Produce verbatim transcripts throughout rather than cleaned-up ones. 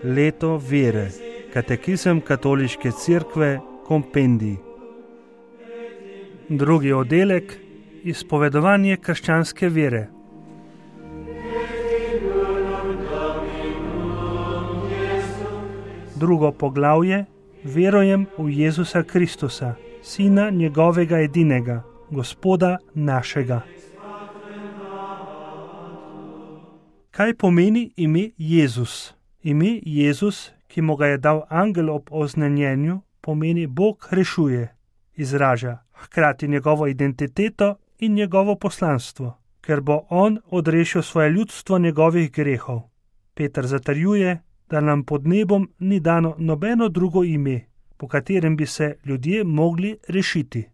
Leto vere. Katekizem Katoliške cerkve, kompendij. Drugi oddelek. Izpovedovanje krščanske vere. Drugo poglavje. Verujem v Jezusa Kristusa, Sina njegovega edinega, Gospoda našega. Kaj pomeni ime Jezus? Ime Jezus, ki mu ga je dal angel ob oznanjenju, pomeni Bog rešuje, izraža hkrati njegovo identiteto in njegovo poslanstvo, ker bo on odrešil svoje ljudstvo njegovih grehov. Peter zatrjuje, da nam pod nebom ni dano nobeno drugo ime, po katerem bi se ljudje mogli rešiti.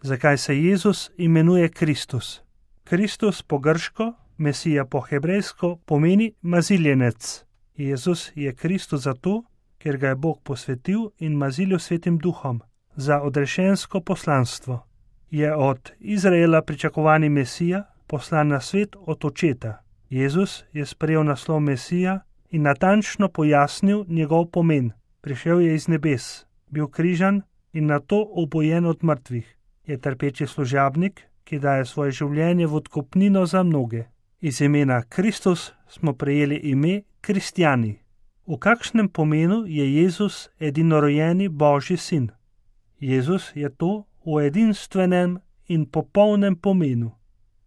Zakaj se Jezus imenuje Kristus? Kristus po grško, Mesija po hebrejsko, pomeni maziljenec. Jezus je Kristus zato, ker ga je Bog posvetil in mazilil svetim duhom za odrešensko poslanstvo. Je od Izraela pričakovani Mesija, poslan na svet od očeta. Jezus je sprejel naslov Mesija in natančno pojasnil njegov pomen. Prišel je iz nebes, bil križan in nato obojen od mrtvih. Je trpeči služabnik, ki daje svoje življenje v odkupnino za mnoge. Iz imena Kristus smo prejeli ime kristjani. V kakšnem pomenu je Jezus edinorojeni Božji sin? Jezus je to v edinstvenem in popolnem pomenu.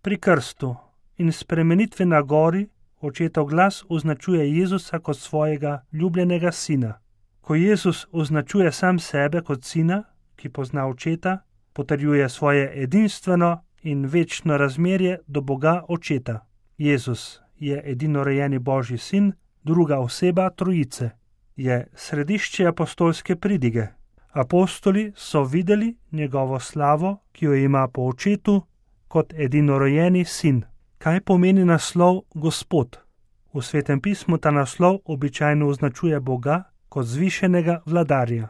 Pri krstu in spremenitvi na gori očetov glas označuje Jezusa kot svojega ljubljenega sina. Ko Jezus označuje sam sebe kot sina, ki pozna očeta, potrjuje svoje edinstveno in večno razmerje do Boga očeta. Jezus je edinorojeni Božji sin, druga oseba trojice. Je središče apostolske pridige. Apostoli so videli njegovo slavo, ki jo ima po očetu, kot edinorojeni sin. Kaj pomeni naslov Gospod? V Svetem pismu ta naslov običajno označuje Boga kot zvišenega vladarja.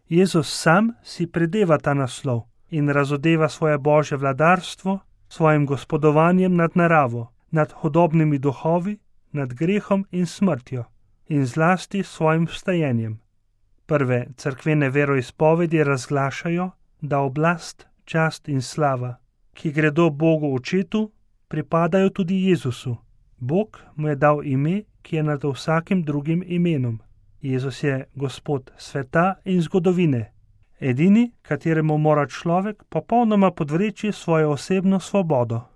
Jezus sam si predeva ta naslov in razodeva svoje Božje vladarstvo svojim gospodovanjem nad naravo, nad hudobnimi duhovi, nad grehom in smrtjo in zlasti svojim vstajenjem. Prve cerkvene veroizpovedi razglašajo, da oblast, čast in slava, ki gredo Bogu očetu, pripadajo tudi Jezusu. Bog mu je dal ime, ki je nad vsakim drugim imenom. Jezus je Gospod sveta in zgodovine, edini, kateremu mora človek popolnoma podvreči svojo osebno svobodo.